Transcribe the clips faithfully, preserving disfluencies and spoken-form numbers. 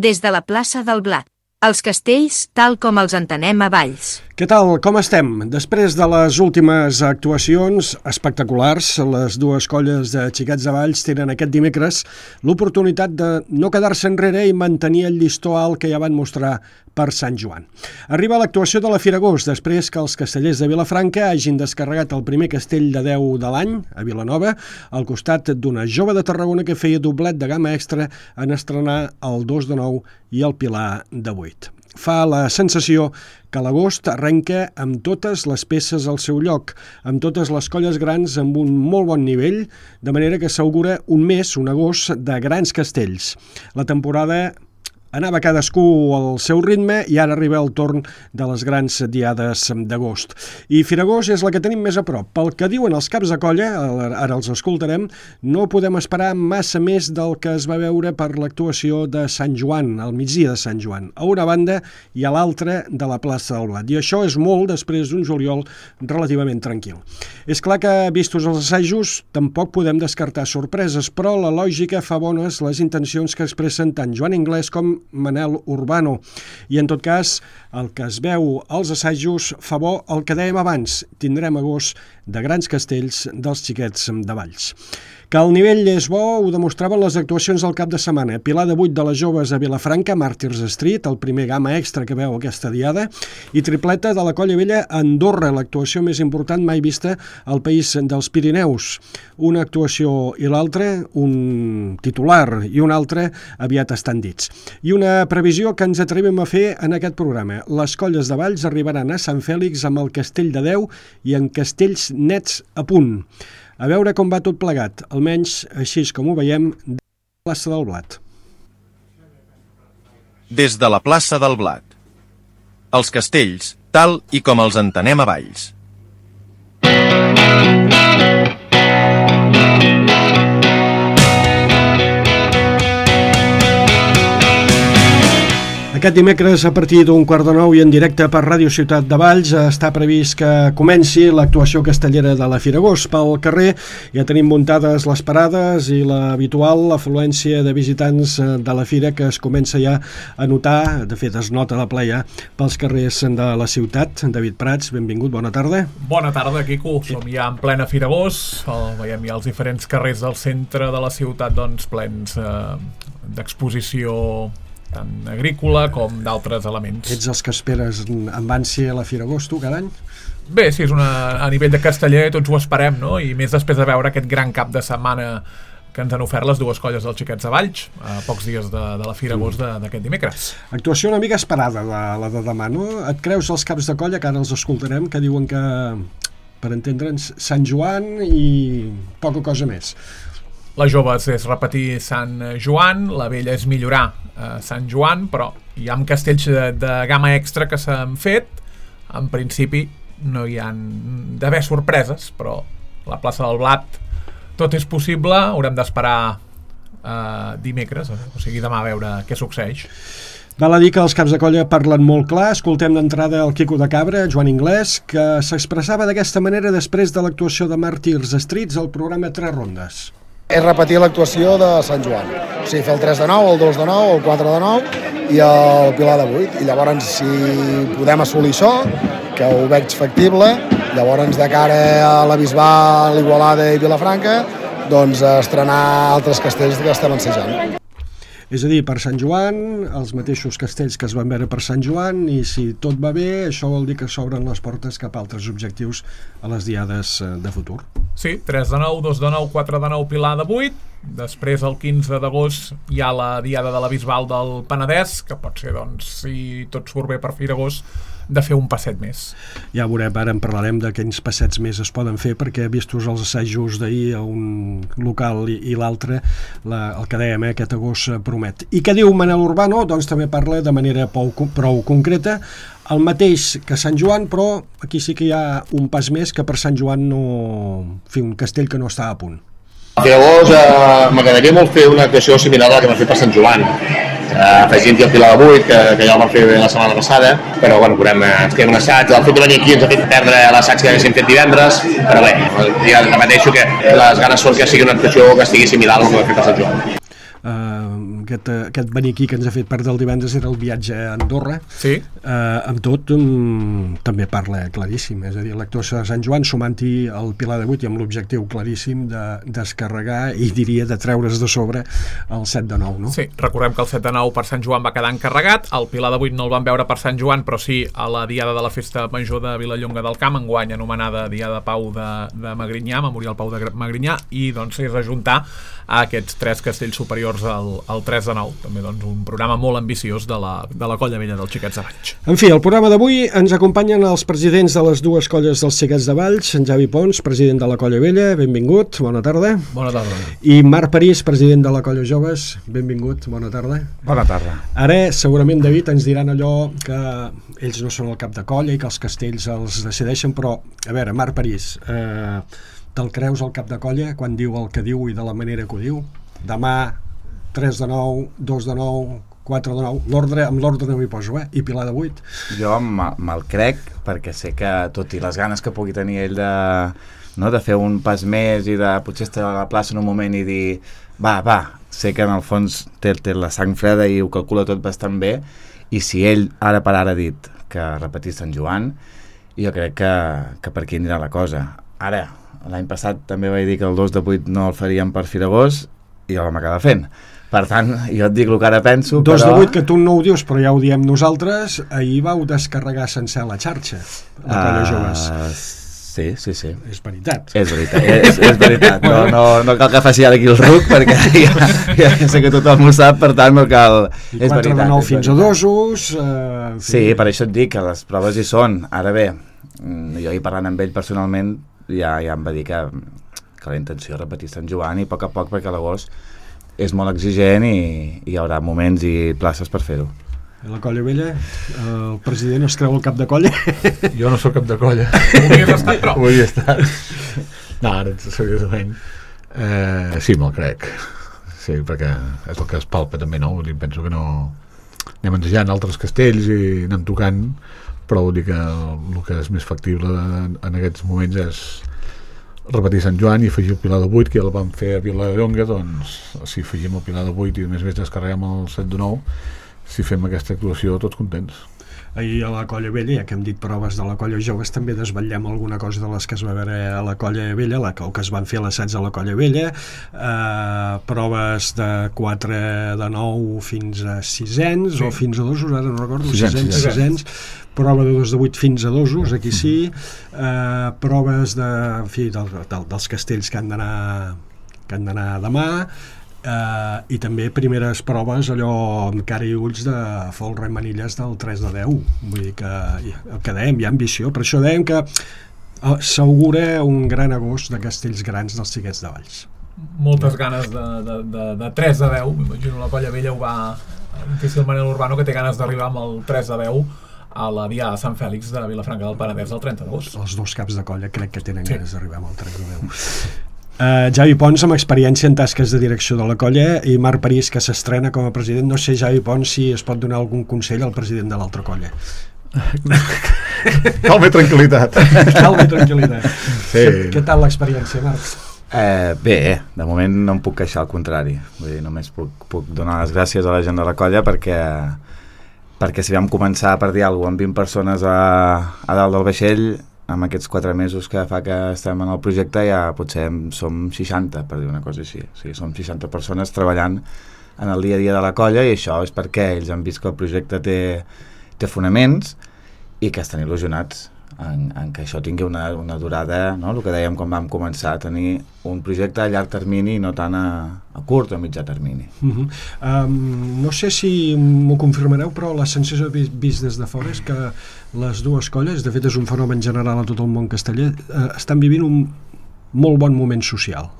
des de la plaça del Blat. Els castells tal com els entenem a Valls. Què tal? Com estem? Després de les últimes actuacions espectaculars, les dues colles de xiquets de Valls tenen aquest dimecres l'oportunitat de no quedar-se enrere i mantenir el llistó alt que ja van mostrar per Sant Joan. Arriba l'actuació de la Fira Agost, després que els castellers de Vilafranca hagin descarregat el primer castell de deu de l'any, a Vilanova, al costat d'una jove de Tarragona que feia doblet de gamma extra en estrenar el dos de nou i el Pilar de vuit. Fa la sensació que l'agost arrenca amb totes les peces al seu lloc, amb totes les colles grans amb un molt bon nivell, de manera que s'augura un mes, un agost, de grans castells. La temporada anava cadascú al seu ritme i ara arriba el torn de les grans diades d'agost. I Firagost és la que tenim més a prop. Pel que diuen els caps de colla, ara els escoltarem, no podem esperar massa més del que es va veure per l'actuació de Sant Joan, al migdia de Sant Joan, a una banda i a l'altra de la plaça del Blat. I això és molt després d'un juliol relativament tranquil. És clar que, vistos els assajos, tampoc podem descartar sorpreses, però la lògica fa bones les intencions que expressen tant Joan Inglés com Manel Urbano. I en tot cas, el que es veu als assajos fa bo el que dèiem abans. Tindrem agost de grans castells dels xiquets de Valls. Que el nivell és bo ho demostraven les actuacions del cap de setmana. Pilar de vuit de les joves a Vilafranca, Màrtirs Street, el primer gamma extra que veu aquesta diada, i tripleta de la Colla Vella a Andorra, l'actuació més important mai vista al país dels Pirineus. Una actuació i l'altra, un titular i un altre, aviat estan dits. I una previsió que ens atrevim a fer en aquest programa. Les colles de Valls arribaran a Sant Fèlix amb el castell de deu i amb castells nets a punt. A veure com va tot plegat, almenys així com ho veiem, de la plaça del Blat. Des de la plaça del Blat. Els castells, tal i com els entenem a Valls. Aquest dimecres, a partir d'un quart de nou i en directe per Ràdio Ciutat de Valls, està previst que comenci l'actuació castellera de la Fira Agost. Pel carrer ja tenim muntades les parades i l'habitual afluència de visitants de la Fira que es comença ja a notar, de fet es nota de ple ja, pels carrers de la ciutat. David Prats, benvingut, bona tarda. Bona tarda, Quico. Som ja en plena Fira Agost. El, veiem ja els diferents carrers del centre de la ciutat doncs, plens eh, d'exposició tant agrícola com d'altres elements. Ets els que esperes amb ànsia la Fira Agost, tu, cada any? Bé, sí, és una, a nivell de casteller tots ho esperem, no? I més després de veure aquest gran cap de setmana que ens han ofert les dues colles dels xiquets de Valls a pocs dies de, de la Fira Agost d'aquest dimecres. Actuació una mica esperada, de, la de demà, no? Et creus els caps de colla, que ara els escoltarem, que diuen que, per entendre'ns, Sant Joan i poca cosa més. La joves és repetir Sant Joan, la vella és millorar eh, Sant Joan, però hi ha castells de, de gamma extra que s'han fet. En principi no hi ha d'haver sorpreses, però la plaça del Blat tot és possible, haurem d'esperar eh, dimecres, o sigui demà a veure què succeeix. Val a dir que els caps de colla parlen molt clar. Escoltem d'entrada el Quico de Cabra, Joan Inglés, que s'expressava d'aquesta manera després de l'actuació de Màrtirs Streets al programa Tres Rondes. És repetir l'actuació de Sant Joan. O sigui, fer el tres de nou, el dos de nou, el quatre de nou i el Pilar de vuit. I llavors, si podem assolir això, que ho veig factible, llavors de cara a la Bisbal, Igualada i Vilafranca, doncs estrenar altres castells que estem ensejant. És a dir, per Sant Joan, els mateixos castells que es van veure per Sant Joan, i si tot va bé, això vol dir que s'obren les portes cap a altres objectius a les diades de futur. Sí, tres de nou, dos de nou, quatre de nou, Pilar de vuit. Després, el quinze d'agost, hi ha la diada de la Bisbal del Penedès, que pot ser, doncs, si tot surt bé per Fira Agost, de fer un passet més. Ja veurem, ara en parlarem de quins passets més es poden fer, perquè vistos els assajos d'ahir a un local i, i l'altre, la, el que dèiem, eh, aquest agost promet. I què diu Manel Urbano? Doncs també parla de manera prou, prou concreta, el mateix que Sant Joan, però aquí sí que hi ha un pas més, que per Sant Joan no... fer un castell que no està a punt. Llavors, eh, m'agradaria molt fer una actuació similar a la que vam fer per Sant Joan, eh, afegint-hi el Pilar de vuit, que, que ja el vam fer la setmana passada, però bueno, veurem, eh, ens queda un assaig. El fet de venir aquí ens ha fet perdre l'assaig que haguéssim fet divendres, però bé, ja repeteixo que les ganes són que sigui una actuació que estigui similar a la que vam fer per Sant Joan. Uh, aquest, aquest beniquí que ens ha fet perdre el divendres era el viatge a Andorra. Sí. Uh, amb tot, um, també parla claríssim, és a dir, l'actor de Sant Joan sumant-hi el Pilar de vuit i amb l'objectiu claríssim de descarregar i diria de treure's de sobre el set de nou, no? Sí, recordem que el set de nou per Sant Joan va quedar encarregat, el Pilar de vuit no el van veure per Sant Joan, però sí a la diada de la Festa Major de Vilallonga del Camp, enguany anomenada Diada Pau de, de Magrinyà, Memorial Pau de Magrinyà, i doncs és ajuntar a aquests tres castells superiors al, al tres de nou. També doncs un programa molt ambiciós de la, de la Colla Vella dels Xiquets de Valls. En fi, el programa d'avui ens acompanyen els presidents de les dues colles dels Xiquets de Valls, en Javi Pons, president de la Colla Vella, benvingut, bona tarda. Bona tarda. I Marc París, president de la Colla Joves, benvingut, bona tarda. Bona tarda. Ara, segurament, David, ens diran allò que ells no són el cap de colla i que els castells els decideixen, però, a veure, Marc París, eh, te'l creus el cap de colla quan diu el que diu i de la manera que ho diu? Demà, tres de nou, dos de nou, quatre de nou, l'ordre, amb l'ordre no m'hi poso, eh? I Pilar de vuit. Jo me'l crec, perquè sé que tot i les ganes que pugui tenir ell de, no, de fer un pas més i de potser estar a la plaça en un moment i dir va, va, sé que en el fons té, té la sang freda i ho calcula tot bastant bé, i si ell ara per ara ha dit que repetís Sant Joan, jo crec que, que per aquí anirà la cosa. Ara, l'any passat també vaig dir que el dos de vuit no el faríem per Firagós i jo vam acabar fent. Per tant, jo et dic el que ara penso, dos però... de vuit, que tu no ho dius, però ja ho diem nosaltres, ahir vau descarregar sencer la xarxa, la Colla uh, Joves. Sí, sí, sí. És veritat. És veritat, és, és veritat. No, no, no cal que faci ara aquí el ruc, perquè ja, ja sé que tothom ho sap, per tant no cal... I és quatre de nou fins a dosos... Uh, sí, per això et dic que les proves hi són. Ara bé, jo hi parlant amb ell personalment, ja, ja em va dir que, que la intenció és repetir Sant Joan i a poc a poc, perquè l'agost és molt exigent i, i hi haurà moments i places per fer-ho. La Colla Vella, el president es creu el cap de colla? Jo no sóc cap de colla. Ho hauries estat, però. Ho hauria estat. No, ara, seriosament, eh, sí, me'l crec. Sí, perquè és el que es palpa també, no? Vull dir, penso que no... Anem ensejant altres castells i anem tocant, però vull dir que el que és més factible en, en aquests moments és repetir Sant Joan i afegir el Pilar de vuit, que ja el vam fer a Vilallonga, doncs si afegim el Pilar de vuit i a més a més descarreguem el set de nou, si fem aquesta actuació tots contents. Ahir a la Colla Vella, ja que hem dit proves de la Colla Joves, també desvetllem alguna cosa de les que es va veure a la Colla Vella, la que, que es van fer a l'assaig a la Colla Vella, eh, proves de quatre de nou fins a sisens, sí. O fins a dosos, ara no recordo, sisens, sisens, prova de dos de vuit fins a dosos, aquí sí, eh, proves de, en fi, del, del, dels castells que han d'anar que han d'anar demà, Uh, i també primeres proves allò amb cara i ulls de folre i manilles del tres de deu, vull dir que el que dèiem, hi ha ambició, per això dèiem que uh, s'augura un gran agost de castells grans dels Xiquets de Valls. Moltes ganes de, de, de, de tres de deu, m'imagino la Colla Vella ho va difícil Manel Urbano, que té ganes d'arribar amb el tres de deu a la Diada de Sant Fèlix de Vilafranca del Penedès el trenta d'agost. Els dos caps de colla crec que tenen sí. ganes d'arribar amb el tres de deu. Uh, Javi Pons, amb experiència en tasques de direcció de la colla, i Marc París, que s'estrena com a president. No sé, Javi Pons, si es pot donar algun consell al president de l'altra colla. Calma i tranquil·litat. Calma i tranquil·litat. Sí. Què, què tal l'experiència, Marc? Eh, bé, de moment no em puc queixar, al contrari. Vull dir, només puc, puc donar les gràcies a la gent de la colla perquè, perquè si vam començar per dir alguna cosa amb vint persones a, a dalt del vaixell, amb aquests quatre mesos que fa que estem en el projecte ja potser som seixanta, per dir una cosa així. O sigui, som seixanta persones treballant en el dia a dia de la colla, i això és perquè ells han vist que el projecte té, té fonaments i que estan il·lusionats en, en que això tingui una, una durada, no? El que dèiem quan vam començar, a tenir un projecte a llarg termini i no tant a, a curt o a mitjà termini. Uh-huh. um, no sé si m'ho confirmareu, però la sensació vist des de fora és que les dues colles, de fet és un fenomen general a tot el món casteller, eh, estan vivint un molt bon moment social.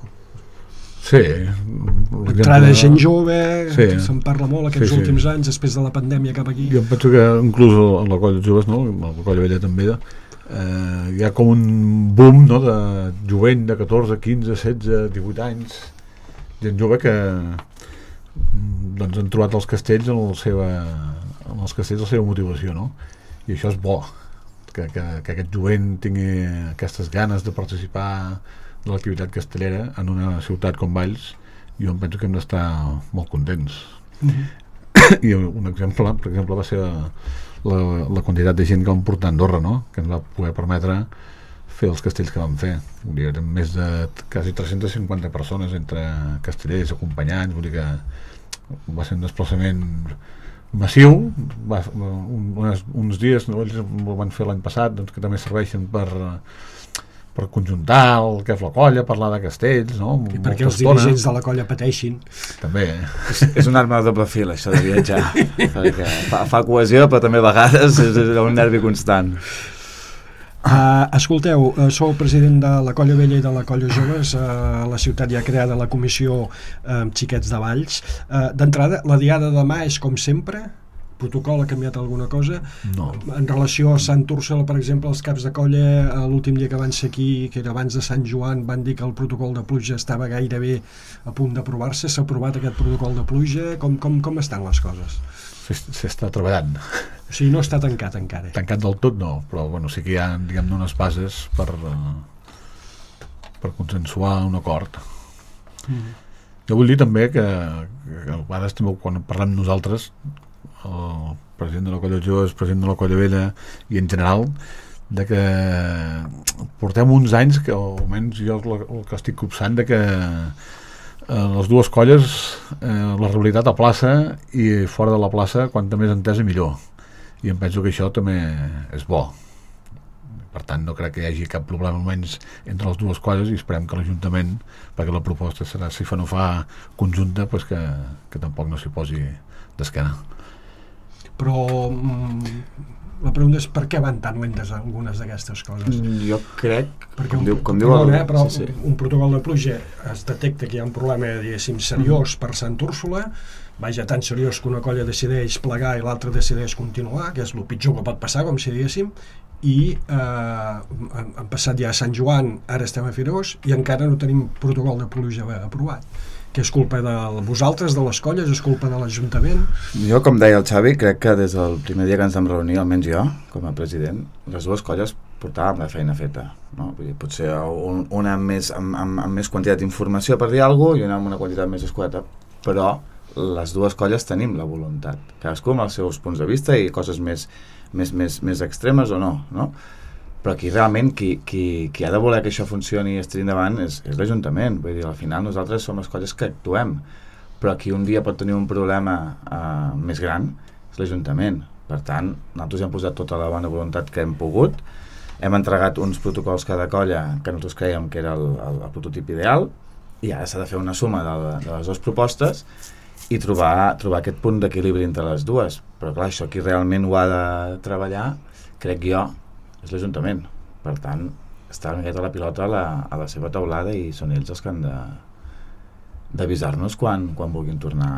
Sí. L'entrada de gent jove, sí. Se'n parla molt aquests sí, sí. últims anys, després de la pandèmia cap aquí. Jo penso que inclús en la colla de joves, no? La colla vella també, eh, hi ha com un boom, no? De jovent de catorze, quinze, setze, divuit anys, gent jove que doncs, han trobat els castells en, la seva, en els castells la seva motivació, no? I això és bo, que, que, que aquest jovent tingui aquestes ganes de participar de l'activitat castellera en una ciutat com Valls, jo em penso que hem d'estar molt contents. Mm-hmm. I un exemple, per exemple, va ser la, la quantitat de gent que vam portar a Andorra, no? Que ens va poder permetre fer els castells que vam fer. Vull dir, eren més de quasi tres-centes cinquanta persones entre castellers, acompanyants, vull dir que va ser un desplaçament massiu, va, un, unes, uns dies, no, ells ho van fer l'any passat, doncs, que també serveixen per, per conjuntar el que és la colla, parlar de castells, no? I perquè els dirigents de la colla pateixin. També. És, és una arma de doble fil, això de viatjar, perquè fa, fa cohesió, però també a vegades és, és un nervi constant. Uh, escolteu, uh, sou president de la Colla Vella i de la Colla Joves, uh, a la ciutat hi ha creada la comissió uh, Xiquets de Valls. Uh, d'entrada, la diada de demà és com sempre? Protocol ha canviat alguna cosa? No. En relació a Sant Úrsula, per exemple, els caps de colla, l'últim dia que van ser aquí, que era abans de Sant Joan, van dir que el protocol de pluja estava gairebé a punt d'aprovar-se. S'ha aprovat aquest protocol de pluja? Com, com, com estan les coses? S'està treballant. O sigui, no està tancat encara. Tancat del tot no, però bueno, sí que hi ha, diguem-ne, unes bases per, uh, per consensuar un acord. Mm. Jo vull dir també que, que a vegades també quan parlem nosaltres, el president de la Colla Joves, president de la Colla Vella i en general, de que portem uns anys que almenys jo el, el que estic copsant de que eh, les dues colles, eh, la realitat a plaça i fora de la plaça, quanta més entesa millor, i em penso que això també és bo. Per tant, no crec que hi hagi cap problema almenys entre les dues colles, i esperem que l'Ajuntament, perquè la proposta serà, si fa no fa conjunta, pues que, que tampoc no s'hi posi d'esquena. Però mm, la pregunta és per què van tan lentes algunes d'aquestes coses? Jo crec, perquè com un, diu, com diu el, el... eh, però sí, sí. un protocol de pluja es detecta que hi ha un problema, diguéssim, seriós per Sant Úrsula, vaja, tan seriós que una colla decideix plegar i l'altra decideix continuar, que és el pitjor que pot passar, com si diguéssim, i eh, han, han passat ja a Sant Joan, ara estem a Firós, i encara no tenim protocol de pluja aprovat. Que és culpa de vosaltres, de les colles, és culpa de l'Ajuntament? Jo, com deia el Xavi, crec que des del primer dia que ens vam reunir, almenys jo, com a president, les dues colles portàvem la feina feta, no? Vull dir, potser un, una amb més, amb, amb, amb més quantitat d'informació per dir alguna cosa i una amb una quantitat més escueta, però les dues colles tenim la voluntat, cadascú amb els seus punts de vista i coses més, més, més, més extremes o no, no? Però aquí realment qui, qui, qui ha de voler que això funcioni i es tiri endavant és, és l'Ajuntament. Vull dir, al final nosaltres som les colles que actuem, però qui un dia pot tenir un problema uh, més gran és l'Ajuntament. Per tant, nosaltres hem posat tota la bona voluntat que hem pogut, hem entregat uns protocols cada colla que nosaltres creiem que era el, el, el prototip ideal, i ara s'ha de fer una suma de, de les dues propostes i trobar, trobar aquest punt d'equilibri entre les dues. Però clar, això qui realment ho ha de treballar, crec jo, és l'Ajuntament. Per tant, està una miqueta la pilota a la, a la seva taulada i són ells els que han de d'avisar-nos quan, quan vulguin tornar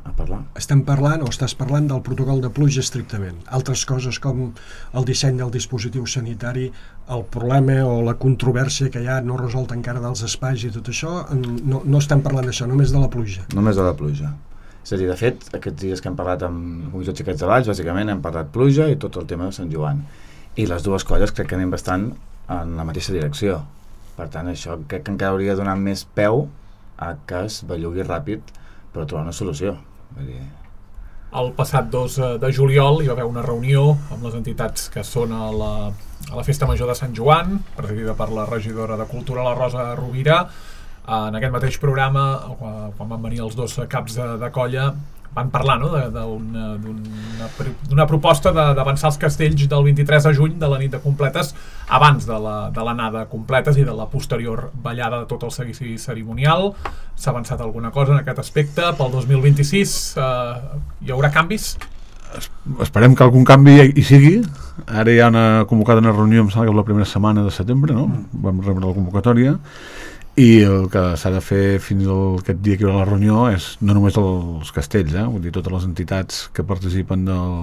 a parlar. Estem parlant, o estàs parlant, del protocol de pluja estrictament. Altres coses com el disseny del dispositiu sanitari, el problema o la controvèrsia que hi ha no resolt encara dels espais i tot això, no, no estem parlant d'això, només de la pluja. Només de la pluja. És a dir, de fet, aquests dies que hem parlat amb la Comissió Xiquets de Valls, bàsicament hem parlat pluja i tot el tema de Sant Joan. I les dues colles crec que anem bastant en la mateixa direcció. Per tant, això crec que encara hauria de donar més peu a que es bellugui ràpid per trobar una solució. Vull dir... El passat dos de juliol hi va haver una reunió amb les entitats que són a la, a la Festa Major de Sant Joan, presidida per la regidora de Cultura, la Rosa Rovira. En aquest mateix programa, quan van venir els dos caps de, de colla, van parlar, no?, d'una proposta d'avançar els castells del vint-i-tres de juny, de la nit de completes, abans de l'anada de completes i de la posterior ballada de tot el seguici cerimonial. S'ha avançat alguna cosa en aquest aspecte? Pel dos mil vint-i-sis eh, hi haurà canvis? Es, esperem que algun canvi hi, hi sigui. Ara hi ha una convocada una reunió, em sembla que és la primera setmana de setembre, no? Vam rebre la convocatòria. I el que s'ha de fer fins al, aquest dia que hi haurà la reunió és no només els castells, eh? Vull dir, totes les entitats que participen del,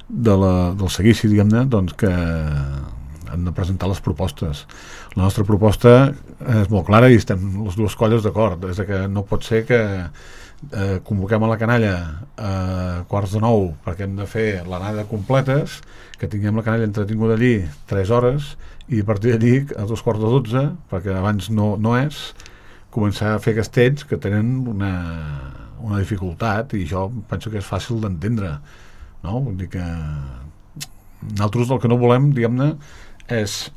de la, del seguici, diguem-ne, doncs que han de presentar les propostes. La nostra proposta és molt clara i estem les dues colles d'acord, és que no pot ser que eh, convoquem a la canalla a quarts de nou perquè hem de fer l'anada completes, que tinguem la canalla entretinguda allí tres hores i a partir d'allí a dos quarts de dotze, perquè abans no, no és, començar a fer castells que tenen una, una dificultat, i això penso que és fàcil d'entendre, no? Vull dir que nosaltres el que no volem, diguem-ne, és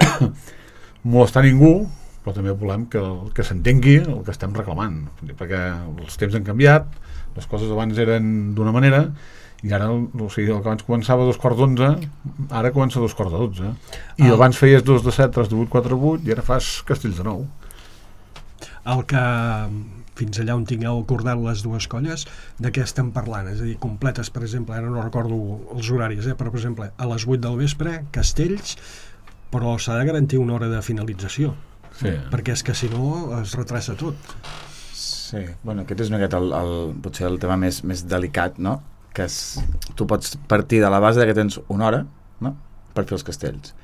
molestar ningú, però també volem que, que s'entengui el que estem reclamant, perquè els temps han canviat, les coses abans eren d'una manera i ara, o sigui, el que abans començava a dos quarts d'onze, ara comença a dos quarts de dotze, i ah. abans feies dos de set, tres de vuit, quatre de vuit, i ara fas castells de nou. El que fins allà on tingueu acordat les dues colles, de què estem parlant? És a dir, completes, per exemple, ara no recordo els horaris, eh? però per exemple, a les vuit del vespre, castells, però s'ha de garantir una hora de finalització, sí. perquè és que si no es retrassa tot. Sí, bueno, aquest és una miqueta el, el, potser el tema més, més delicat, no? Que és, tu pots partir de la base que tens una hora, no?, per fer els castells.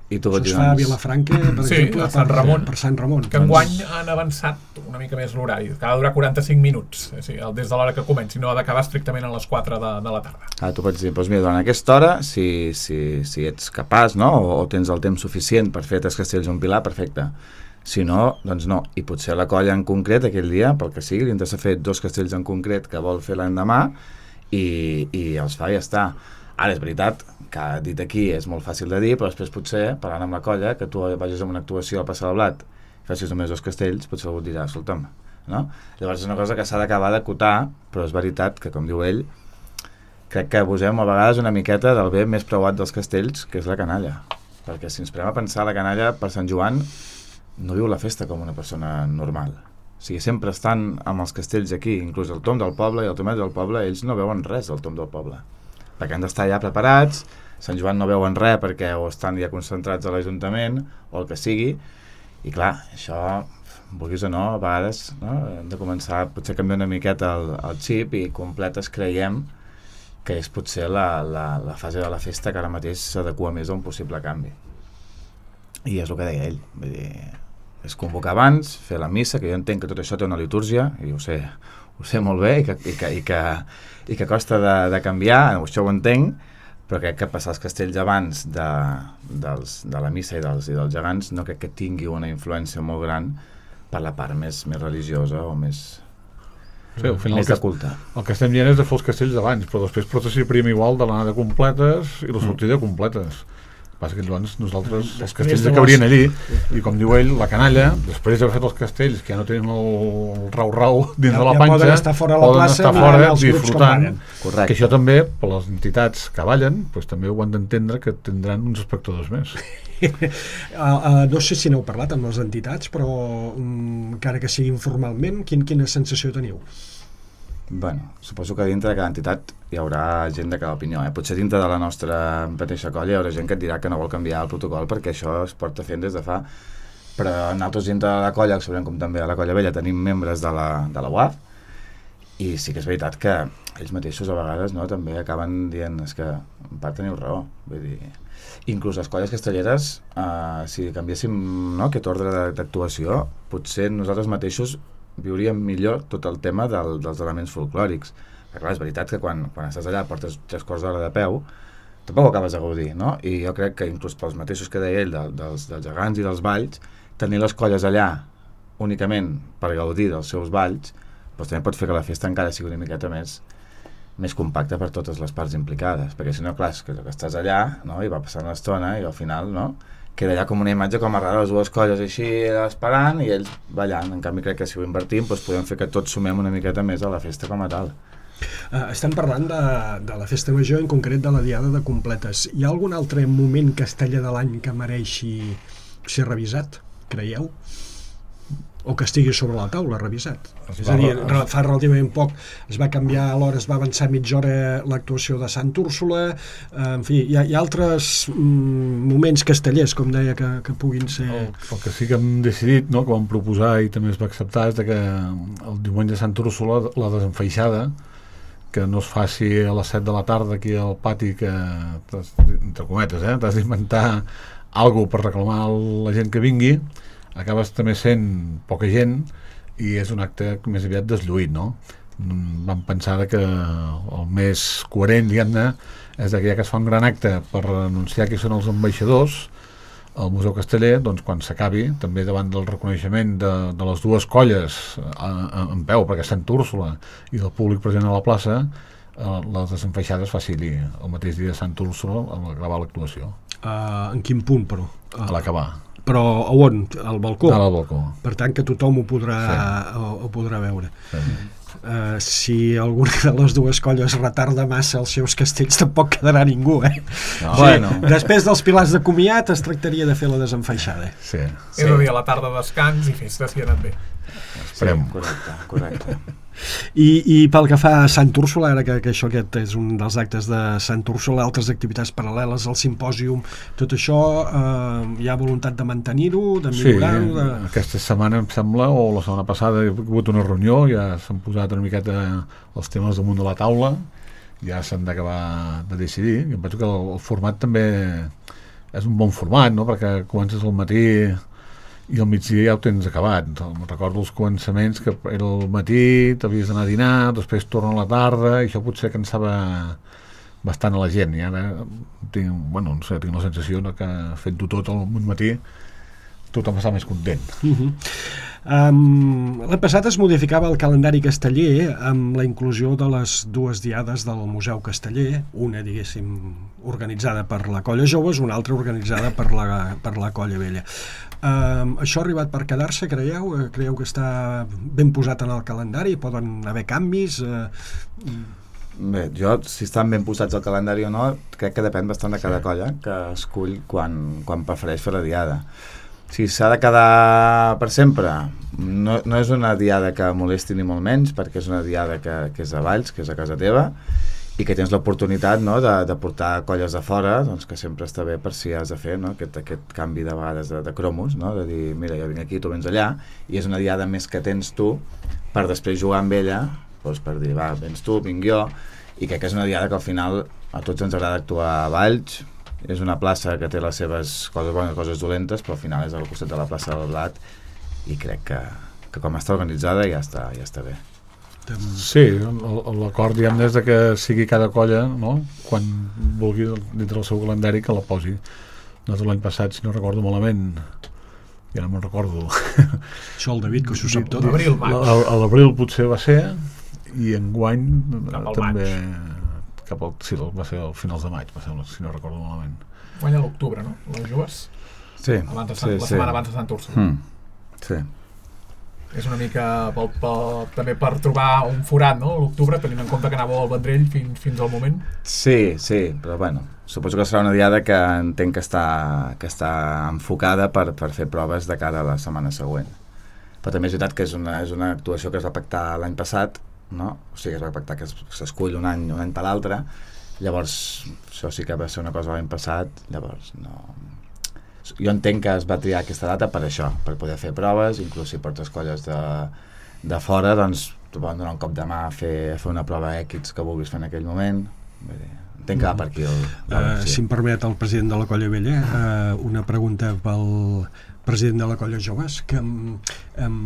I tu Això es fa a Vilafranca, per sí, exemple, a Sant Ramon, per Sant Ramon. Que enguany han avançat una mica més l'horari, que ha de durar quaranta-cinc minuts, o sigui, des de l'hora que comenci, no ha d'acabar estrictament a les quatre de, de la tarda. Ah, tu pots dir, doncs mira, durant aquesta hora, si, si, si ets capaç, no?, o, o tens el temps suficient per fer tres castells a un pilar, perfecte. Si no, doncs no. I potser la colla en concret, aquell dia, pel que sigui, li interessa fer dos castells en concret que vol fer l'endemà i, i els fa i ja està. Ara, és veritat que dit aquí és molt fàcil de dir, però després potser, parlant amb la colla, que tu vagis a una actuació al Passar del Blat i facis només dos castells, potser algú et dirà, escolta'm, no? Llavors és una cosa que s'ha d'acabar d'acotar, però és veritat que, com diu ell, crec que abusem a vegades una miqueta del bé més preuat dels castells, que és la canalla. Perquè si ens prenem a pensar, la canalla per Sant Joan no viu la festa com una persona normal. O sigui, sempre estan amb els castells aquí, inclús el tom del poble i el tomet del poble, ells no veuen res del tom del poble, perquè han d'estar ja preparats. Sant Joan no veuen res perquè o estan ja concentrats a l'Ajuntament o el que sigui, i clar, això, vulguis o no, a vegades, no? Hem de començar potser a canviar una miqueta el, el xip, i completes creiem que és potser la, la, la fase de la festa que ara mateix s'adequa més a un possible canvi. I és el que deia ell, vull dir, és convocar abans, fer la missa, que jo entenc que tot això té una litúrgia, i ho sé, ho sé molt bé, i que, i que, i que, i que costa de, de canviar, això ho entenc, però crec que passar els castells abans de, dels, de la missa i dels, i dels gegants no crec que tingui una influència molt gran per la part més, més religiosa o més, sí, al final més de culte. El que estem dient és de fer els castells abans, però després processió prim igual de l'anada completes i la sortida mm. completes. Passa que llavors nosaltres, els castells que haurien allí, i com diu ell, la canalla, després d'haver fet els castells, que ja no tenen el rau-rau dins ja, de la panxa, ja poden estar fora a la poden plaça, estar fora disfrutant. Correcte. Que això també, per les entitats que ballen, doncs també ho han d'entendre que tindran uns espectadors més. uh, uh, no sé si n'heu parlat amb les entitats, però um, encara que sigui informalment, quin, quina sensació teniu? Bueno, suposo que dintre de cada entitat hi haurà gent de cada opinió, eh? Potser dintre de la nostra mateixa colla hi haurà gent que et dirà que no vol canviar el protocol perquè això es porta fent des de fa, però nosaltres dintre de la colla, que sabrem com també a la colla vella, tenim membres de la, de la U A F, i sí que és veritat que ells mateixos a vegades, no, també acaben dient, és que en part teniu raó, vull dir, inclús les colles castelleres, eh, si canviéssim, no, aquest ordre d'actuació, potser nosaltres mateixos viuríem millor tot el tema del, dels elements folclòrics. Perquè clar, és veritat que quan, quan estàs allà portes tres quarts d'hora de peu, tampoc ho acabes de gaudir, no? I jo crec que inclús pels mateixos que deia ell, de, dels, dels gegants i dels balls, tenir les colles allà únicament per gaudir dels seus balls, doncs també pot fer que la festa encara sigui una miqueta més, més compacta per totes les parts implicades, perquè si no, clar, és que, que estàs allà, no? I va passar una estona i al final, no?, queda allà com una imatge com a rara, les dues colles així esperant i ells ballant. En canvi crec que si ho invertim doncs podem fer que tots sumem una miqueta més a la festa com a tal. Uh, estem parlant de, de la festa major, en concret de la diada de completes. Hi ha algun altre moment casteller de l'any que mereixi ser revisat, creieu? O que estigui sobre la taula revisat? Es és a dir, fa relativament poc es va canviar, alhora es va avançar mitja hora l'actuació de Sant Úrsula, eh, en fi, hi ha, hi ha altres mm, moments castellers, com deia, que, que puguin ser... El, el que sí que hem decidit, no, que vam proposar i també es va acceptar, és de que el diumenge de Sant Úrsula, la desenfeixada, que no es faci a les set de la tarda aquí al pati, que, entre cometes, eh, t'has d'inventar alguna cosa per reclamar la gent que vingui, acabes també sent poca gent i és un acte més aviat deslluït, no? Vam pensar que el més coherent, diguem-ne, és que ja que es fa un gran acte per anunciar qui són els ambaixadors, al Museu Casteller, doncs quan s'acabi, també davant del reconeixement de, de les dues colles a, a, en peu, perquè Sant Úrsula i del públic present a la plaça, eh, les desenfeixades es faci el mateix dia de Sant Úrsula al acabar l'actuació. Uh, en quin punt, però? Uh, a l'acabar. Però a on? Al balcó? Al balcó. Per tant, que tothom ho podrà, sí. ho, ho podrà veure. Sí. Uh, si alguna de les dues colles retarda massa els seus castells, tampoc quedarà ningú, eh? No, sí, bueno. Després dels pilars de comiat es tractaria de fer la desenfeixada. Sí. Sí. És a dir, a la tarda descans i festa, si ha anat bé. Esperem. Sí, correcte, correcte. I, I pel que fa a Sant Úrsula, ara que, que això aquest és un dels actes de Sant Úrsula, altres activitats paral·leles, el simpòsium, tot això, eh, hi ha voluntat de mantenir-ho, de millorar-ho? Sí, de... aquesta setmana em sembla, o la setmana passada hi ha hagut una reunió, ja s'han posat una miqueta els temes damunt de la taula, ja s'han d'acabar de decidir, i em penso que el, el format també és un bon format, no? Perquè comences al matí i al migdia ja ho tens acabat. Recordo els començaments que era al matí, t'havies d'anar a dinar, després torna a la tarda, i això potser cansava bastant a la gent, i ara tinc, bueno, no sé, tinc la sensació no, que fent-ho tot al matí tothom està més content. Uh-huh. Um, l'any passat es modificava el calendari casteller amb la inclusió de les dues diades del Museu Casteller, una, diguéssim, organitzada per la Colla Joves, una altra organitzada per la, per la Colla Vella. Um, això ha arribat per quedar-se, creieu? Creieu que està ben posat en el calendari? Poden haver canvis? Uh, Bé, jo, si estan ben posats al calendari o no, crec que depèn bastant de cada colla que escull quan, quan prefereix fer la diada. Si s'ha de quedar per sempre, no, no és una diada que molesti ni molt menys, perquè és una diada que, que és a Valls, que és a casa teva, i que tens l'oportunitat, no, de, de portar colles de fora, doncs que sempre està bé per si has de fer, no, aquest, aquest canvi de vegades de, de cromos, no, de dir, mira, jo vinc aquí, tu vens allà, i és una diada més que tens tu per després jugar amb ella, doncs per dir, va, vens tu, vinc jo, i crec que és una diada que al final a tots ens agrada actuar a Valls. És una plaça que té les seves coses bones i coses dolentes, però al final és al costat de la plaça del Blat, i crec que, que com està organitzada ja està, ja està bé. Sí, l'acord diguem des de que sigui cada colla, no? Quan vulgui dintre del seu calendari que la posi. Nosaltres l'any passat, si no recordo malament, ja no me'n recordo. Això el David, que s'ho sap tot. L'abril, maig. A l'abril potser va ser, i enguany també... maig. Cap al, sí, va ser al finals de maig, va ser, si no recordo malament. Guanya l'octubre, no? Les joves? Sí. Abans de sí, Sant, la sí. setmana abans de Sant Úrsula. Mm. Sí. És una mica pel, pel, també per trobar un forat, no? L'octubre, tenint en compte que anàveu al Vendrell fins, fins al moment. Sí, sí, però bueno, suposo que serà una diada que entenc que està, que està enfocada per, per fer proves de cara a la setmana següent. Però també és veritat que és una, és una actuació que es va pactar l'any passat, no? O sigui, es va pactar que s'escull un any, un any per l'altre, llavors això sí que va ser una cosa l'any passat, llavors no... Jo entenc que es va triar aquesta data per això, per poder fer proves, inclús si portes colles de, de fora, doncs t'ho poden donar un cop de mà a fer, a fer una prova X que vulguis fer en aquell moment. Vull dir, entenc que va per aquí el... Uh, sí. Si em permet el president de la Colla Vella, uh, una pregunta pel president de la Colla Joves, que... Um,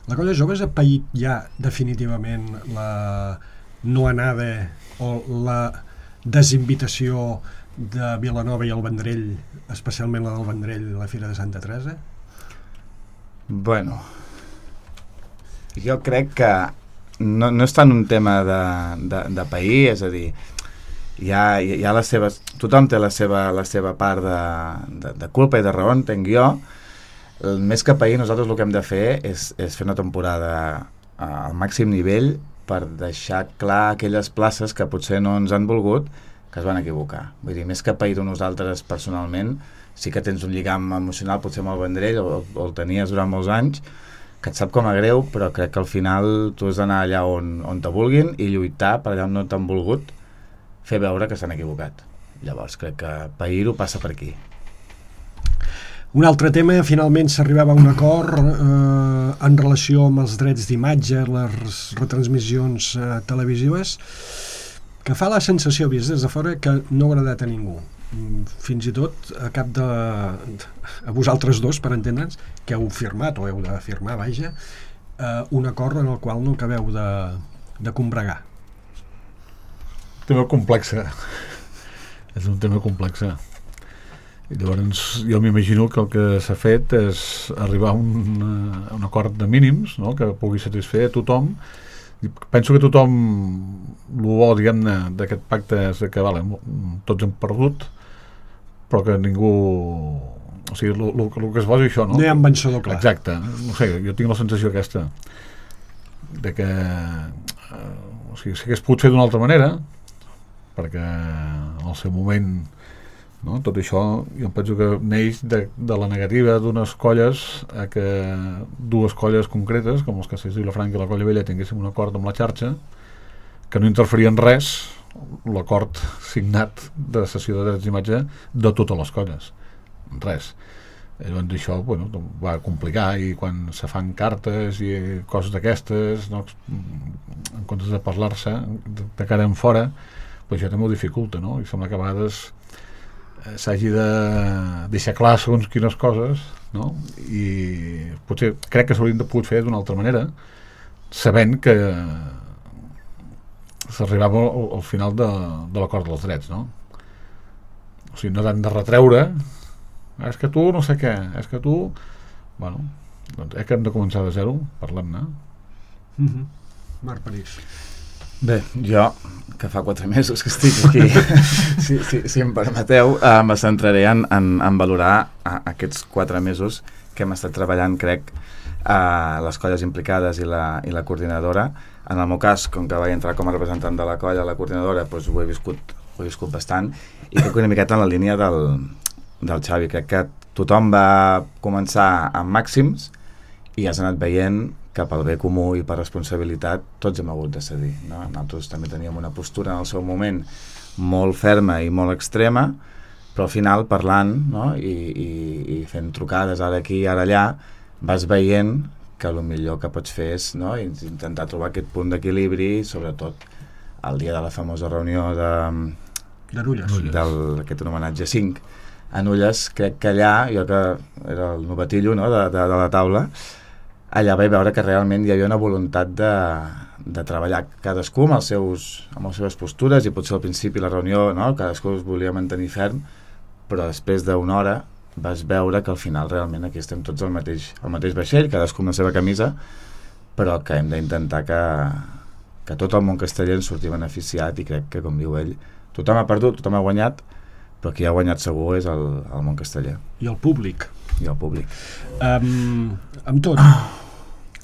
la Colla Joves ha paït ja definitivament la no anada o la desinvitació de Vilanova i el Vendrell, especialment la del Vendrell a la Fira de Santa Teresa? Bueno, jo crec que no, no és tant un tema de, de, de pair, és a dir, hi ha, hi ha les seves, tothom té la seva, la seva part de, de, de culpa i de raó, entenc jo. El més que pair, nosaltres el que hem de fer és, és fer una temporada al màxim nivell per deixar clar aquelles places que potser no ens han volgut, que es van equivocar. Vull dir, més que pair nosaltres personalment, sí que tens un lligam emocional potser amb el Vendrell, o, o el tenies durant molts anys, que et sap com a greu, però crec que al final tu has d'anar allà on, on te vulguin i lluitar per allà on no t'han volgut, fer veure que s'han equivocat. Llavors crec que pair-ho passa per aquí. Un altre tema, finalment s'arribava a un acord eh, en relació amb els drets d'imatge, les retransmissions eh, televisives, que fa la sensació, vist des de fora, que no ha agradat a ningú. Fins i tot a cap de... a vosaltres dos, per entendre'ns, que heu firmat, o heu de firmar, vaja, eh, un acord en el qual no acabeu de, de combregar. Tema complexa. És un tema complexa. I llavors jo m'imagino que el que s'ha fet és arribar a un, a un acord de mínims, no? Que pugui satisfer a tothom. I penso que tothom, el bo, diguem-ne, d'aquest pacte és que vale, tots hem perdut, però que ningú... O sigui, el que es posa això, no? No hi ha un vencedor clar. Exacte. No sé, jo tinc la sensació aquesta de que eh, o sigui, s'hagués pogut fer d'una altra manera, perquè en el seu moment, no? Tot això jo penso que neix de, de la negativa d'unes colles a que dues colles concretes, com els Castells de Vilafranca i la Colla Vella, tinguéssim un acord amb la xarxa que no interferia en res l'acord signat de cessió de drets d'imatge de totes les colles, res. Llavors això, bueno, va complicar, i quan se fan cartes i coses d'aquestes, no, en comptes de parlar-se de, de cara en fora, pues això també ho dificulta, no? I sembla que a vegades eh, s'hagi de deixar clar segons quines coses, no? I potser crec que s'haurien de pogut fer d'una altra manera, sabent que s'arribava al, al final de, de l'acord dels drets, no? O sigui, no tant de retreure, és que tu no sé què, és que tu... Bueno, doncs és que hem de començar de zero, parlem-ne. Mm-hmm. Marc París. Bé, jo, que fa quatre mesos que estic aquí, si, si, si em permeteu, eh, me centraré en, en, en valorar a, aquests quatre mesos que hem estat treballant, crec, a les colles implicades i la, i la coordinadora. En el meu cas, com que vaig entrar com a representant de la colla, la coordinadora, doncs ho he viscut, ho he viscut bastant, i crec que una miqueta en la línia del, del Xavi. Crec que tothom va començar amb màxims i has anat veient que pel bé comú i per responsabilitat tots hem hagut de cedir, no? Nosaltres també teníem una postura en el seu moment molt ferma i molt extrema, però al final parlant, no? I, i, i fent trucades ara aquí i ara allà, vas veient que el millor que pots fer és, no? Intentar trobar aquest punt d'equilibri, sobretot el dia de la famosa reunió de, de Nulles, d'aquest homenatge cinc a Nulles. Crec que allà, jo que era el novatillo, no? de, de, de la taula, allà vaig veure que realment hi havia una voluntat de, de treballar cadascú amb, els seus, amb les seves postures, i potser al principi la reunió, no? Cadascú es volia mantenir ferm, però després d'una hora vas veure que al final realment aquí estem tots al mateix, al mateix vaixell, cadascú amb la seva camisa, però que hem d'intentar que, que tot el món casteller en surti beneficiat, i crec que, com diu ell, tothom ha perdut, tothom ha guanyat, però qui ha guanyat segur és el, el món casteller. I el públic. I el públic. Um, amb tot,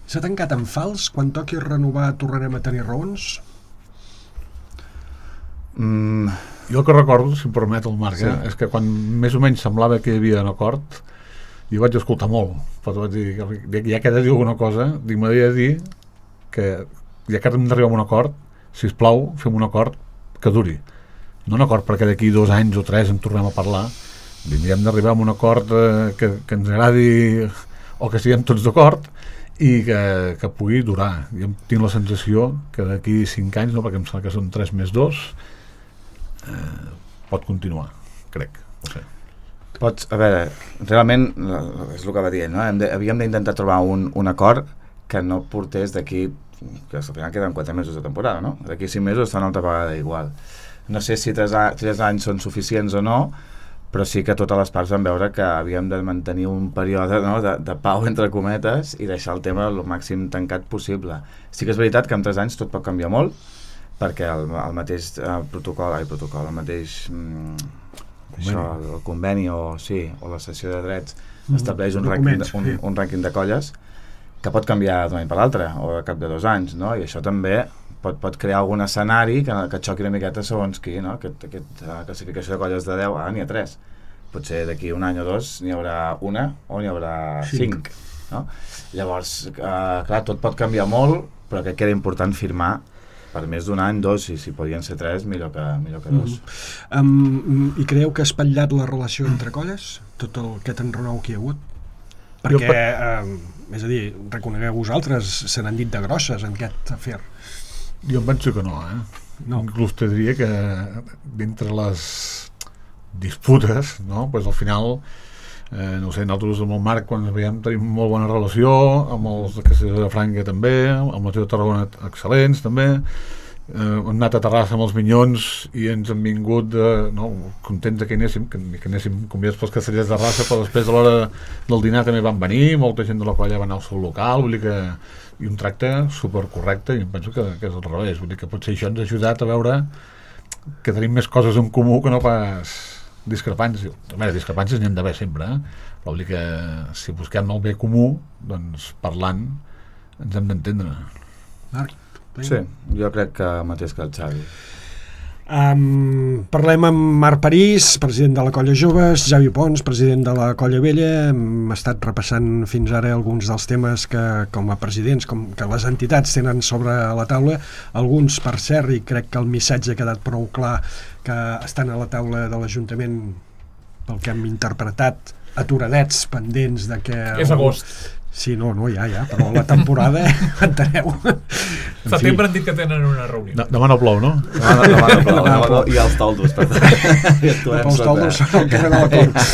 s'ha tancat en fals? Quan toqui renovar tornarem a tenir raons? Mm, jo el que recordo, si em permet el Marc, sí. eh, és que quan més o menys semblava que hi havia un acord, jo vaig escoltar molt, però vaig dir, ja que he de dir alguna cosa, dic, m'havia de dir que ja que hem d'arribar a un acord, sisplau, fem un acord que duri. No un acord perquè d'aquí dos anys o tres en tornem a parlar, hem d'arribar a un acord eh, que, que ens agradi o que siguem tots d'acord i que, que pugui durar. Jo tinc la sensació que d'aquí cinc anys, no, perquè em sembla que són tres més dos, eh, pot continuar, crec. No sé. Pots, a veure, realment és el que va dient, no? Hem de, havíem d'intentar trobar un, un acord que no portés d'aquí, que al final queden quatre mesos de temporada, no? D'aquí cinc mesos està una altra vegada igual. No sé si tres, a, tres anys són suficients o no, però sí que totes les parts van veure que havíem de mantenir un període, no? de, de pau entre cometes i deixar el tema el màxim tancat possible. Sí que és veritat que en tres anys tot pot canviar molt, perquè el, el mateix eh, protocol, ai, protocol, el mateix mm, això, el, el conveni o, sí, o la cessió de drets mm, estableix un rànquing, un, un rànquing de colles que pot canviar d'un any per l'altre o de cap de dos anys, no? I això també pot, pot crear algun escenari que, que xoqui una miqueta segons qui, no? Aquest, aquest uh, classificació de colles de deu, ah, n'hi ha tres. Potser d'aquí un any o dos n'hi haurà una o n'hi haurà cinc, no? Llavors, uh, clar, tot pot canviar molt, però crec que era important firmar per més d'un any, dos, i si podien ser tres, millor que, millor que dos. Mm-hmm. um, I creieu que ha espatllat la relació entre colles? Tot el aquest enrenou que hi ha hagut? Perquè, eh, és a dir, reconegueu vosaltres, se n'han dit de grosses en aquest afer. Jo em penso que no, eh? No. Inclús te diria que d'entre les disputes, no? Pues al final, eh, no sé, nosaltres amb el Marc, quan ens veiem, tenim molt bona relació, amb els de Castells de Franca també, amb els de Tarragona excel·lents també, eh, hem anat a Terrassa amb els Minyons i ens han vingut eh, no, contents que hi anéssim, que, que anéssim convidats pels castellers de raça, però després a l'hora del dinar també van venir, molta gent de la colla va anar al seu local, vull dir que i un tracte supercorrecte, i em penso que, que és al revés, vull dir que potser això ens ha ajudat a veure que tenim més coses en comú que no pas discrepàncies. A veure, discrepàncies n'hi han d'haver sempre, eh? Però vull dir que si busquem el bé comú, doncs parlant ens hem d'entendre. Marc? Sí, jo crec que mateix que el Xavi. Um, parlem amb Marc París, president de la Colla Joves, Javi Pons, president de la Colla Vella. Hem estat repassant fins ara alguns dels temes que, com a presidents, com que les entitats tenen sobre la taula. Alguns, per cert, i crec que el missatge ha quedat prou clar, que estan a la taula de l'Ajuntament, pel que hem interpretat, aturadets, pendents de que... És agost. Sí, no, no, ja, ja, però la temporada, enteneu? Setembre han dit que tenen una reunió. No, demà no plou, no? Demà no, demà no plou, demà no plou. I els toldos, per tant. I els toldos són encara no la cor.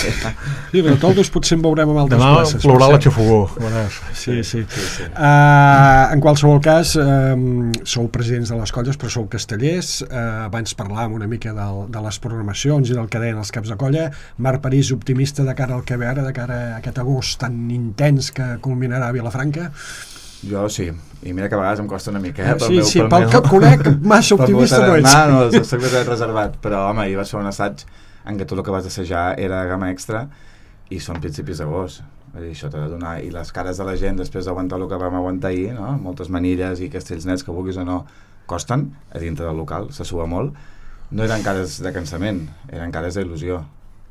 Sí, però toldos potser en veurem amb altres demà places. Demà plourà la xafogó. Sí, sí. sí, sí. Uh, en qualsevol cas, um, sou presidents de les colles, però sou castellers. Uh, abans parlàvem una mica del, de les programacions i del que deien els caps de colla. Marc París, optimista de cara al que ve ara, de cara a aquest agost tan intens que culminarà a Vilafranca? Jo sí, i mira que a vegades em costa una mica, eh? Sí, meu, sí, pel, pel que conec, massa optimista no ets. No, no, soc més reservat, però home, ahir va ser un assaig en què tot el que vas assajar era gamma extra i són principis d'agost. Això t'ha de donar, i les cares de la gent després d'aguantar el que vam aguantar ahir, no? Moltes manilles i castells nets que vulguis o no costen, a dintre del local, se sua molt. No eren cares de cansament, eren cares d'il·lusió.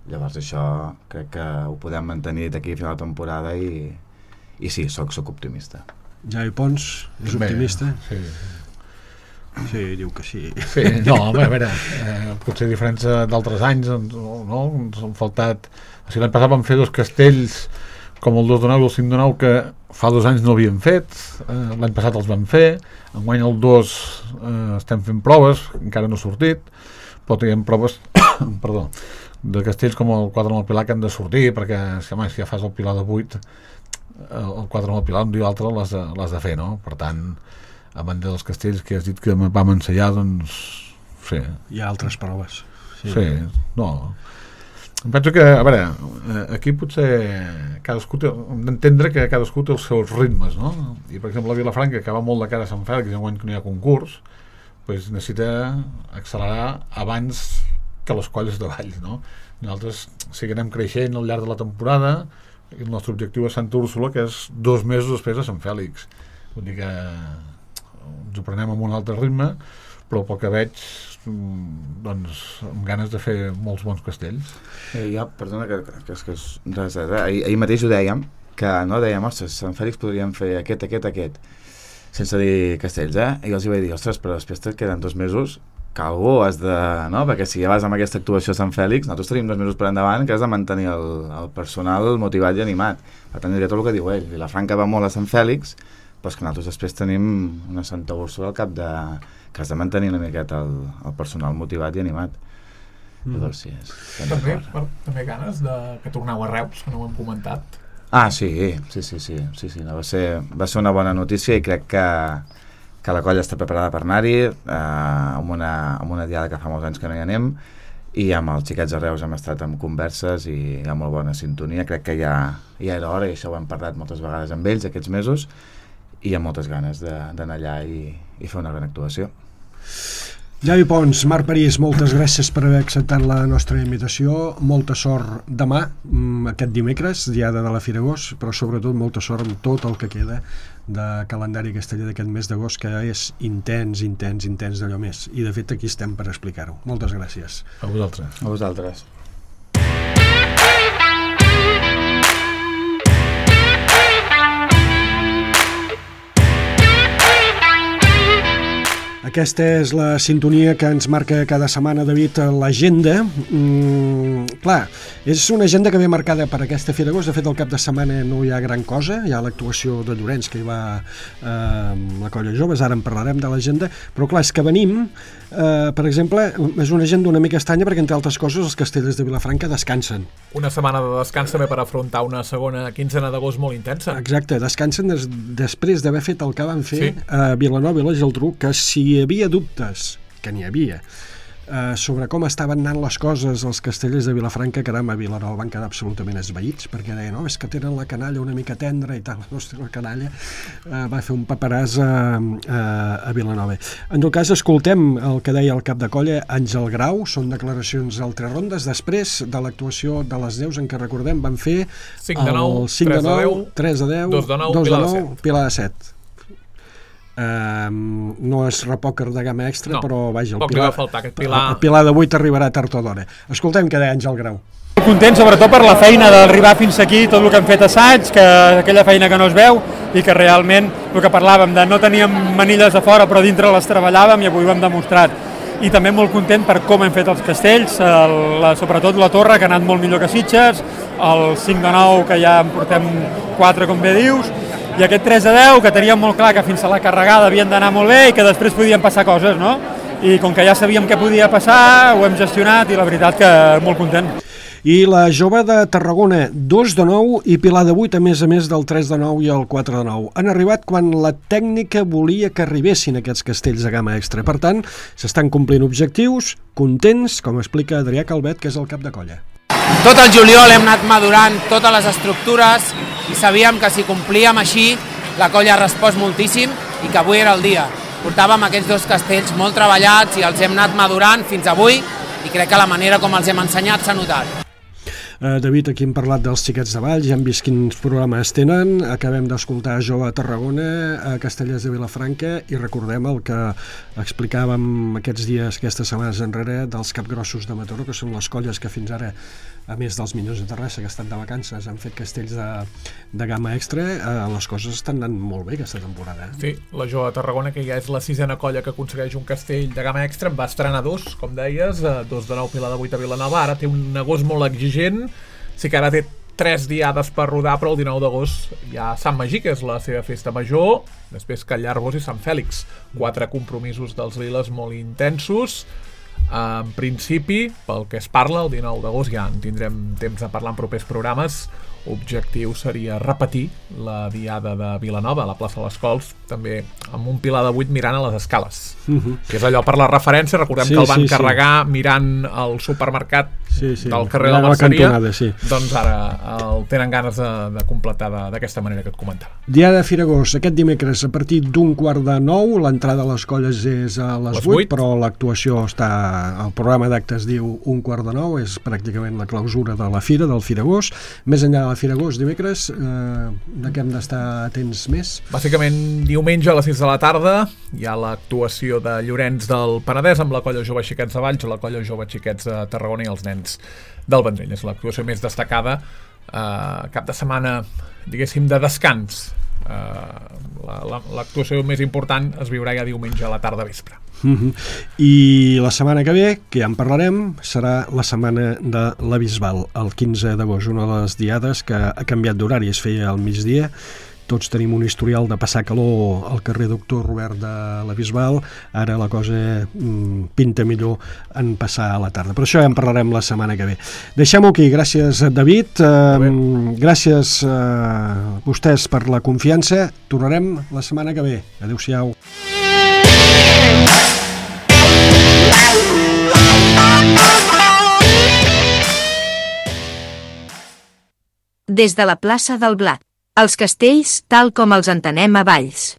Llavors això crec que ho podem mantenir d'aquí a final de temporada i i sí, soc, soc optimista. Javi Pons és Bé, optimista? Sí. Sí, diu que sí. Sí, no, home, a veure, eh, potser a diferència d'altres anys, no, no, ens han faltat... O sigui, l'any passat vam fer dos castells com el dos de nou i el cinc de nou que fa dos anys no havíem fet, eh, l'any passat els vam fer, enguany el dos eh, estem fent proves, encara no ha sortit, però tenim proves perdó, de castells com el quatre amb el Pilar que han de sortir, perquè si, home, si ja fas el Pilar de vuit, el quatre amb el Pilar un dia o l'altre l'has de, l'has de fer, no? Per tant, a banda dels castells que has dit que vam ensenyar, doncs sí. Hi ha altres proves. Sí, sí no. Em penso que, a veure, aquí potser cadascú té, hem d'entendre que cadascú té els seus ritmes, no? I per exemple la Vilafranca, que va molt de cara a Sant Fèlix, enguany que no hi ha concurs, pues necessita accelerar abans que les colles de Valls, no? Nosaltres seguirem creixent al llarg de la temporada. El nostre objectiu és Santa Úrsula, que és dos mesos després de Sant Fèlix. Vull dir que ens ho prenem amb un altre ritme, però pel que veig, doncs, amb ganes de fer molts bons castells. Eh, ja, perdona, que, que, que és res, eh? ahir, ahir mateix ho dèiem, que no dèiem, ostres, Sant Fèlix podríem fer aquest, aquest, aquest, sense dir castells, eh? I els hi vaig dir, ostres, però després et queden dos mesos que algú has de... no? Perquè si ja vas amb aquesta actuació a Sant Fèlix, nosaltres tenim dos mesos per endavant que has de mantenir el, el personal motivat i animat. Per tant, diré tot el que diu ell. Vilafranca va molt a Sant Fèlix, però és que nosaltres després tenim una Santa Úrsula al cap de... que has de mantenir una miqueta el, el personal motivat i animat. Mm. Llavors, sí, és, també, per, també ganes de que torneu a Reus, que no ho hem comentat. Ah, sí, sí, sí, sí, sí, sí no, va, ser, va ser una bona notícia i crec que que la colla està preparada per anar-hi, eh, amb, una, amb una diada que fa molts anys que no hi anem, i amb els xiquets de Reus hem estat en converses i hi ha molt bona sintonia. Crec que ja, ja era hora, i això ho hem parlat moltes vegades amb ells aquests mesos, i hi ha moltes ganes d'anar allà i, i fer una gran actuació. Javi Pons, Marc París, moltes gràcies per haver acceptat la nostra invitació. Molta sort demà, aquest dimecres, diada de la Fira Agost, però sobretot molta sort amb tot el que queda de calendari casteller d'aquest mes d'agost, que és intens, intens, intens d'allò més. I de fet aquí estem per explicar-ho. Moltes gràcies. A vosaltres. A vosaltres. Aquesta és la sintonia que ens marca cada setmana, David, l'agenda. Mm, clar, és una agenda que ve marcada per aquesta Fira d'Agost. De fet, el cap de setmana no hi ha gran cosa. Hi ha l'actuació de Llorenç, que hi va eh, amb la Colla Joves. Ara en parlarem de l'agenda. Però clar, és que venim, eh, per exemple, és una agenda una mica estranya perquè, entre altres coses, els castellers de Vilafranca descansen. Una setmana de descans també per afrontar una segona quinzena d'agost molt intensa. Exacte, descansen des, després d'haver fet el que van fer sí. a Vilanova i la Geltrú, que si hi havia dubtes, que n'hi havia, Uh, sobre com estaven anant les coses als castellers de Vilafranca, caram, a Vilanova van quedar absolutament esveïts, perquè deien, no, és que tenen la canalla una mica tendra i tal. Hòstia, la canalla uh, va fer un paperàs a, a, a Vilanova. En tot cas, escoltem el que deia el cap de colla, Àngel Grau. Són declaracions al Tres Rondes, després de l'actuació de les Neus, en què recordem van fer cinc de nou, tres de nou, tres de deu, dos de nou, Pilar de set. Pilar de set. Um, no és repòquer de gamma extra, no, però vaja, el poc Pilar, li va faltar, aquest Pilar... el Pilar de vuit arribarà tard o d'hora. Escoltem què deia Àngel Grau. Content sobretot per la feina d'arribar fins aquí, tot el que hem fet assaig, que aquella feina que no es veu i que realment el que parlàvem de no teníem manilles a fora però dintre les treballàvem i avui ho hem demostrat. I també molt content per com hem fet els castells, el, la, sobretot la torre que ha anat molt millor que Sitges, el cinc de nou que ja en portem quatre com bé dius, i aquest tres de deu que teníem molt clar que fins a la carregada havien d'anar molt bé i que després podien passar coses, no? I com que ja sabíem què podia passar, ho hem gestionat i la veritat que molt content. I la jove de Tarragona, dos de nou i Pilar de vuit, a més a més del tres de nou i el quatre de nou. Han arribat quan la tècnica volia que arribessin aquests castells de gamma extra. Per tant, s'estan complint objectius, contents, com explica Adrià Calvet, que és el cap de colla. Tot el juliol hem anat madurant totes les estructures i sabíem que si complíem així la colla ha respost moltíssim i que avui era el dia. Portàvem aquests dos castells molt treballats i els hem anat madurant fins avui i crec que la manera com els hem ensenyat s'ha notat. Uh, David, aquí hem parlat dels xiquets de Valls, ja hem vist quins programes tenen, acabem d'escoltar Jove a Tarragona, a Castellers de Vilafranca, i recordem el que explicàvem aquests dies, aquestes setmanes enrere, dels capgrossos de Mataró, que són les colles que fins ara, a més dels Minyons de Terrassa, que estan de vacances, han fet castells de, de gamma extra. Uh, les coses estan anant molt bé aquesta temporada. Eh? Sí, la Jove a Tarragona, que ja és la sisena colla que aconsegueix un castell de gamma extra, va estrenar dos, com deies, dos de nou, Pilar de vuit a Vilanova, ara té un agost molt exigent. Sí que ara té tres diades per rodar, però el dinou d'agost hi ha Sant Magí, que és la seva festa major, després Callarvos i Sant Fèlix. Quatre compromisos dels Liles molt intensos. En principi, pel que es parla, el dinou d'agost ja en tindrem temps de parlar en propers programes. Objectiu seria repetir la diada de Vilanova a la plaça de les Cols, també amb un Pilar de vuit mirant a les escales, uh-huh. que és allò per la referència. Recordem sí, que el van sí, carregar sí. mirant el supermercat sí, sí. del carrer de la Merceria, sí. doncs ara el tenen ganes de, de completar d'aquesta manera que et comentava. Diada de Firagós, aquest dimecres a partir d'un quart de nou, l'entrada a les colles és a les, les vuit, però l'actuació està, el programa d'actes diu un quart de nou, és pràcticament la clausura de la fira, del Firagós. Més enllà de la Firagós, dimecres, eh, de què hem d'estar atents més? Bàsicament, diumenge a les sis de la tarda hi ha l'actuació de Llorenç del Penedès amb la colla Jove Xiquets de Valls, la colla Jove Xiquets de Tarragona i els nens del Vendrell. És l'actuació més destacada, eh, cap de setmana, diguéssim, de descans. Uh, l'actuació més important es viurà ja diumenge a la tarda vespre. Uh-huh. I la setmana que ve, que ja en parlarem, serà la setmana de la Bisbal, el quinze d'agost, una de les diades que ha canviat d'horari, es feia al migdia. Tots tenim un historial de passar calor al carrer Doctor Robert de la Bisbal, ara la cosa mm, pinta millor en passar a la tarda, però això ja en parlarem la setmana que ve. Deixem-ho aquí, gràcies David, eh, gràcies a vostès per la confiança, tornarem la setmana que ve. Adéu-siau. Des de la plaça del Blat, els castells tal com els entenem a Valls.